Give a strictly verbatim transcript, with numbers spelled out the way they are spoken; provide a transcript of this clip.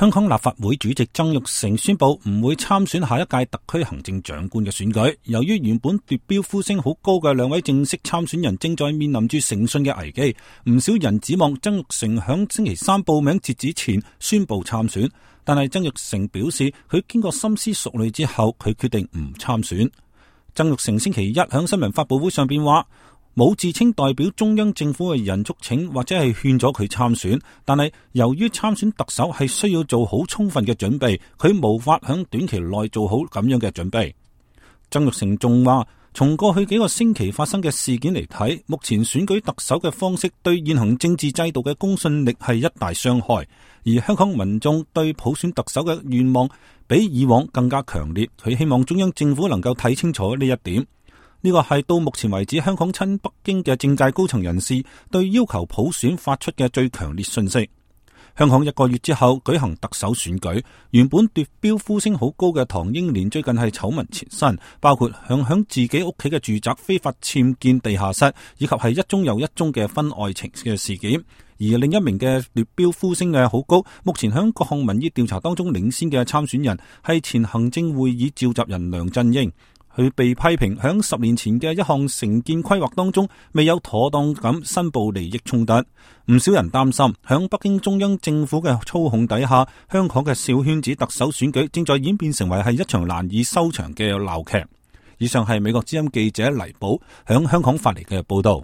香港立法會主席曾鈺成宣布唔會參選下一屆特區行政長官嘅選舉。由於原本奪標呼聲好高嘅兩位正式參選人正在面臨住誠信嘅危機，唔少人指望曾鈺成響星期三報名截止前宣布參選。但係曾鈺成表示，佢經過深思熟慮之後，佢決定唔參選。曾鈺成星期一響新聞發佈會上邊話，冇自稱代表中央政府嘅人促請或者係勸咗佢參選，但係由於參選特首係需要做好充分嘅準備，佢無法響短期內做好咁樣嘅準備。曾鈺成仲話，從過去幾個星期發生嘅事件嚟睇，目前選舉特首嘅方式對現行政治制度嘅公信力係一大傷害，而香港民眾對普選特首嘅願望比以往更加強烈。佢希望中央政府能夠睇清楚呢一點。呢個係到目前為止香港親北京嘅政界高層人士對要求普選發出嘅最強烈訊息。香港一個月之後舉行特首選舉，原本奪標呼聲好高嘅唐英年最近係醜聞纏身，包括向響自己屋企嘅住宅非法僭建地下室，以及係一宗又一宗嘅婚外情嘅事件。而另一名嘅奪標呼聲嘅好高，目前響各項民意調查當中領先嘅參選人係前行政會議召集人梁振英。佢被批評響十年前嘅一項城建規劃當中未有妥當咁申報利益衝突，唔少人擔心響北京中央政府嘅操控底下，香港嘅小圈子特首選舉正在演變成為係一場難以收場嘅鬧劇。以上係美國之音記者黎寶響香港發嚟嘅報道。